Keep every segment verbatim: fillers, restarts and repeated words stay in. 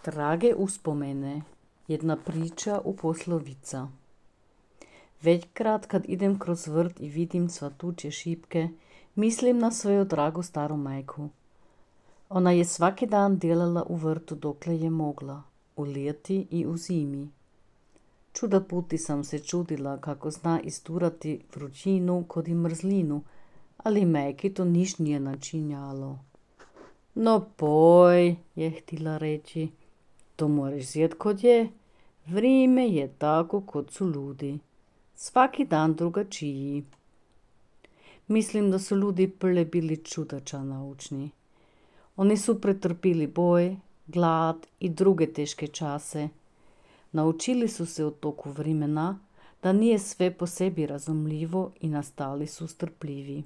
Drage uspomene, jedna priča u poslovica. Većkrat kad idem kroz vrt i vidim cvatuće šipke, mislim na svoju dragu staru majku. Ona je svaki dan delala u vrtu dokle je mogla, u ljeti i u zimi. Čuda puti sam se čudila kako zna isturati vrućinu kod i mrzlinu, ali majki to niš nije načinjalo. No poj, je htila reći, to moraš zjet kod je. Vrime je tako kod su ljudi. Svaki dan drugačiji. Mislim da su ljudi prle bili čudača naučni. Oni su pretrpili boj, glad i druge teške čase. Naučili su se u toku vremena da nije sve po sebi razumljivo i nastali su strpljivi.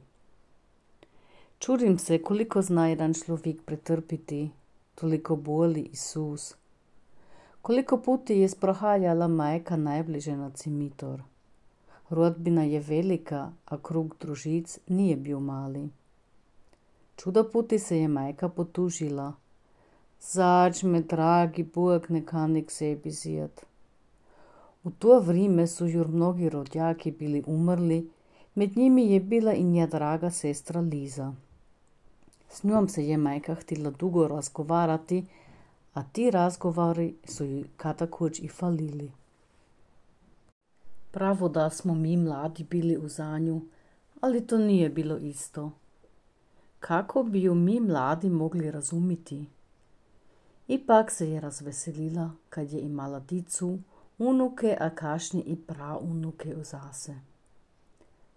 Čudim se koliko zna jedan človek pretrpiti, toliko boli i sus. Koliko puti je sprohaljala majka najbliže na cimitor. Rodbina je velika, a krug družic nije bil mali. Čuda puti se je majka potužila. Zač me, dragi Bog, nekani k sebi zjet. U to vrime su jur mnogi rodjaki bili umrli, med njimi je bila i nja draga sestra Liza. S njom se je majka htila dugo razgovarati, a ti razgovori su ji katakuć i falili. Pravo da smo mi mladi bili u zanju, ali to nije bilo isto. Kako bi ju mi mladi mogli razumiti? Ipak se je razveselila, kad je imala dicu, unuke, a kašnje i praunuke u zase.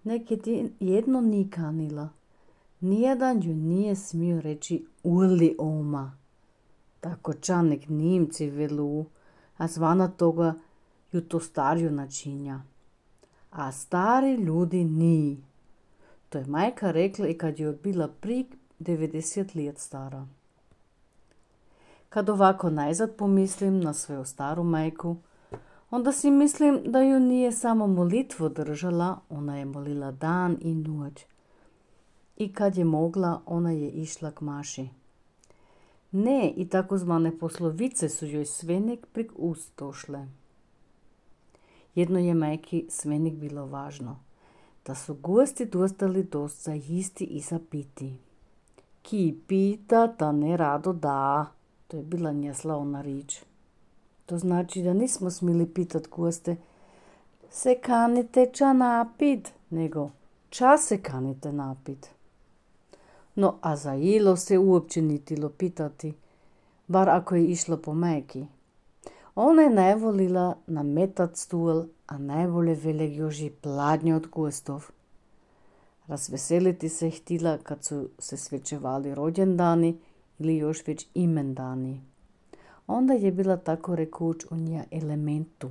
Nek je jedno ni kanila. Nijedan ju nije smio reći uli oma. Tako čanek Nimci velu, a zvana toga ju to starju načinja. A stari ljudi ni. To je majka rekla i kad je bila pri devedeset let stara. Kad ovako najzad pomislim na svoju staru majku, onda si mislim da ju nije samo molitvo držala, ona je molila dan i noć. I kad je mogla, ona je išla k maši. Ne, i takozvane poslovice su joj svenik prek ust došle. Jedno je majki svenik bilo važno, da su gosti dostali dost za jisti i za piti. Ki pita, ta ne rado da. To je bila nja slavna rič. To znači da nismo smili pitat goste, se kanite ča napit, nego ča se kanite napit. No, a za jelo se uopće nitilo pitati, bar ako je išlo po majki. Ona je najvolila nametat stol, a najbolje velik joži pladnje od gostov. Razveseliti se htila kad su se svečevali rođendani ili još već imendani. Onda je bila tako rekuć u nja elementu.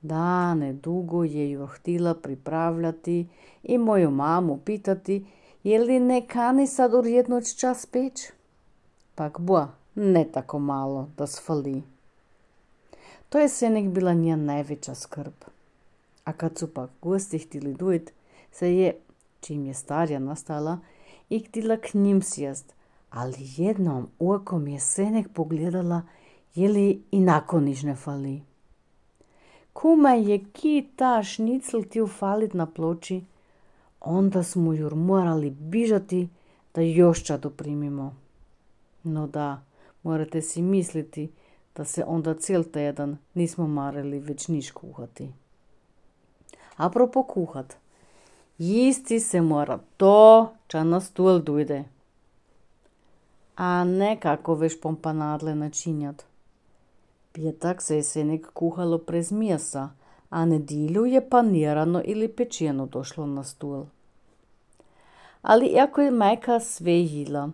Dane dugo je ju htila pripravljati i moju mamu pitati, je li ne kani sad u jednoć čas peć? Pak boa, ne tako malo da sfali. To je senek bila nja najveća skrb. A kad su pak gosti htili dojt, se je, čim je starja nastala, i htila k njim sjest, ali jednom okom je senek pogledala, je li i nakon niš ne fali. Kuma je ki ta šnicl htio falit na ploči, onda smo jur morali bižati da još čado primimo. No da, morate si misliti da se onda cijel tjedan nismo marili već niš kuhati. Apropo kuhat, jisti se mora to, ča na stol dojde. A ne kako veš pompanadle načinjat. Pjetak se je senek kuhalo prez mjesa, a nedilju je panirano ili pečeno došlo na stol. Ali iako je majka sve jila,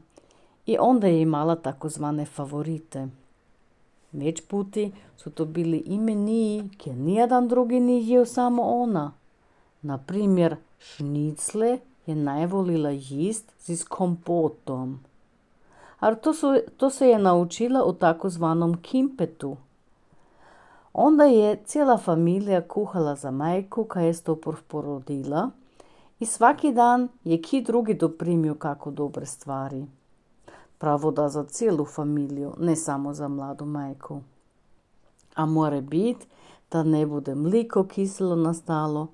i onda je imala takozvane favorite. Već puti su to bili i meniji, kjer nijedan drugi ni jeo, samo ona. Na primjer, šnicle je najvolila jist s kompotom. A to, su, to se je naučila u takozvanom kimpetu. Onda je cijela familija kuhala za majku, kaj je to porodila, i svaki dan je ki drugi doprimio kako dobre stvari. Pravo da za cijelu familiju, ne samo za mladu majku. A more bit da ne bude mliko kiselo nastalo,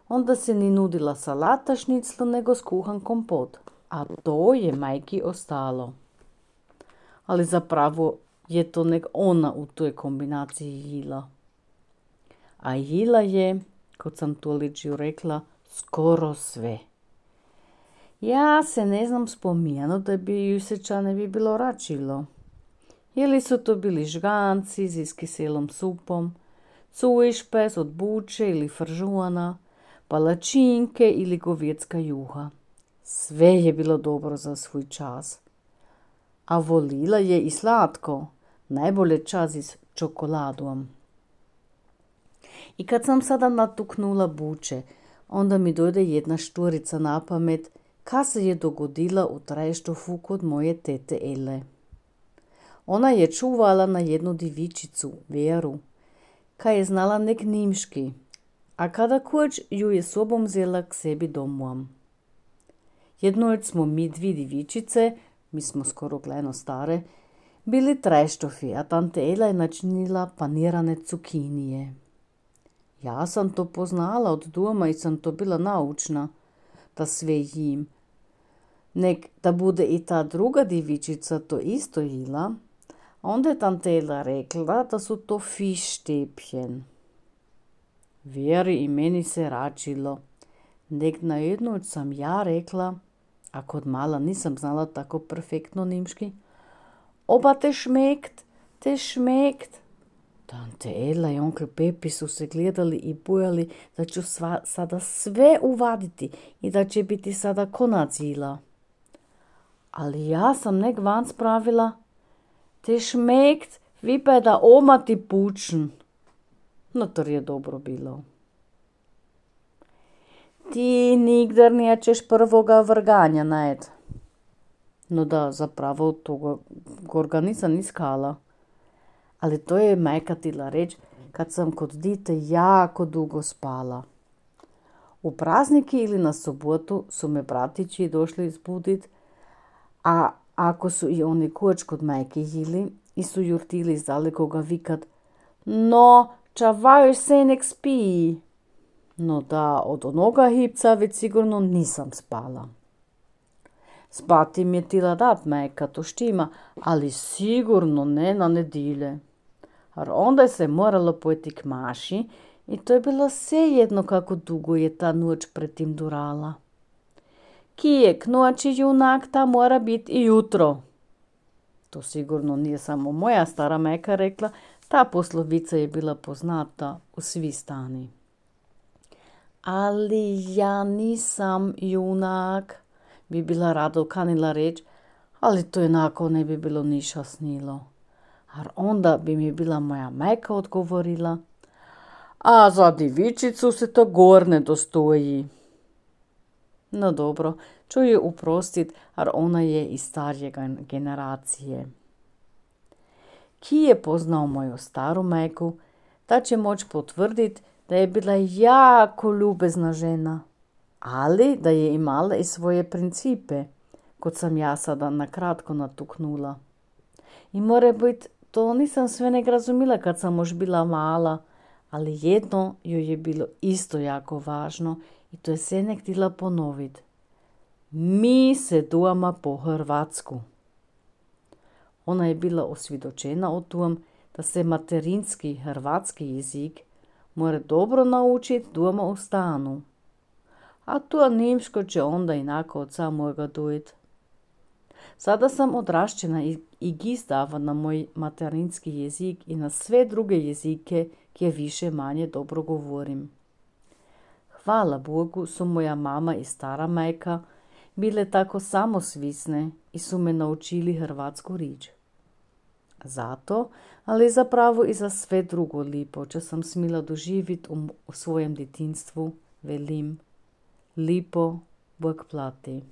onda se ni nudila salata šniclu nego skuhan kompot, a to je majki ostalo. Ali zapravo je to nek ona u toj kombinaciji jila. A jila je, kot sam to ličiju rekla, skoro sve. Ja se ne znam spominjano da bi ju se ča ne bi bilo račilo. Ili su to bili žganci z iskiselom supom, cujšpes od buče ili fržuana, palačinke ili govjetska juha. Sve je bilo dobro za svoj čas. A volila je i slatko, najbolje čas s čokoladom. I kad sam sada natuknula buče, onda mi dojde jedna štvorica na pamet, ka se je dogodila u Trajštofu kod moje tete Ele. Ona je čuvala na jednu divičicu, Veru, ka je znala nek nimški, a kada kuć ju je sobom zela k sebi domuam. Jednoć smo mi dvi divičice, mi smo skoro gleno stare, bili Trajštofi, a tante Ela je načinila panirane cukinije. Ja sam to poznala od doma i sam to bila naučna, da sve jim. Nek da bude i ta druga divičica to isto jila, onda je tante Ela rekla da su to fištepjen. Vjeri i meni se račilo. Nek na jednoć sam ja rekla, a kod mala nisam znala tako perfektno nimški, oba te šmekt, te šmekt. Tante Ela i onkel Pepi su se gledali i bojali da ću sva, sada sve uvaditi i da će biti sada konac jila. Ali ja sam nek van spravila, te šmekt, vi pa je da oma ti pučn. No to je dobro bilo. Ti nigdar nećeš prvoga vrganja najed. No da, zapravo toga gorga nisam iskala. Ali to je majka tila reč, kad sam kod dite jako dugo spala. U prazniki ili na sobotu su me bratići došli izbudit, a ako su i oni kuć kod majke jili i su jurtili iz dalekoga vikat, no, čavaj se nek spi. No da, od onoga hipca već sigurno nisam spala. Spati mi je tila dat majka, to štima, ali sigurno ne na nedilje. Ar onda je se moralo pojeti k maši i to je bilo svejedno kako dugo je ta noć pretim durala. Kije k noći junak, ta mora biti i jutro. To sigurno nije samo moja stara majka rekla, ta poslovica je bila poznata u svi stani. Ali ja nisam junak, bi bila rado kanila reč, ali to jednako ne bi bilo niša snilo. Ar onda bi mi bila moja majka odgovorila, a za divičicu se to gor ne dostoji. No dobro, ću je uprostit, ar ona je iz starije generacije. Ki je poznao moju staru majku, ta će moć potvrdit da je bila jako ljubezna žena, ali da je imala i svoje principe, kot sam ja sada nakratko natuknula. I more bit, to nisam sve nek razumila kad sam još bila mala, ali jedno joj je bilo isto jako važno i to je se nek htjela ponovit. Mi se duama po hrvatsku. Ona je bila osvjedočena o tom da se materinski hrvatski jezik mora dobro naučiti doma u stanu. A to nimško će onda inako od samojega dojit. Sada sam odrašćena i, i gizdava na moj materinski jezik i na sve druge jezike, kje više manje dobro govorim. Hvala Bogu su moja mama i stara majka bile tako samosvisne i su me naučili hrvatsku rič. Zato, ali zapravo i za sve drugo lipo, če sam smila doživit u, u svojem djetinstvu, velim, lipo Bog plati.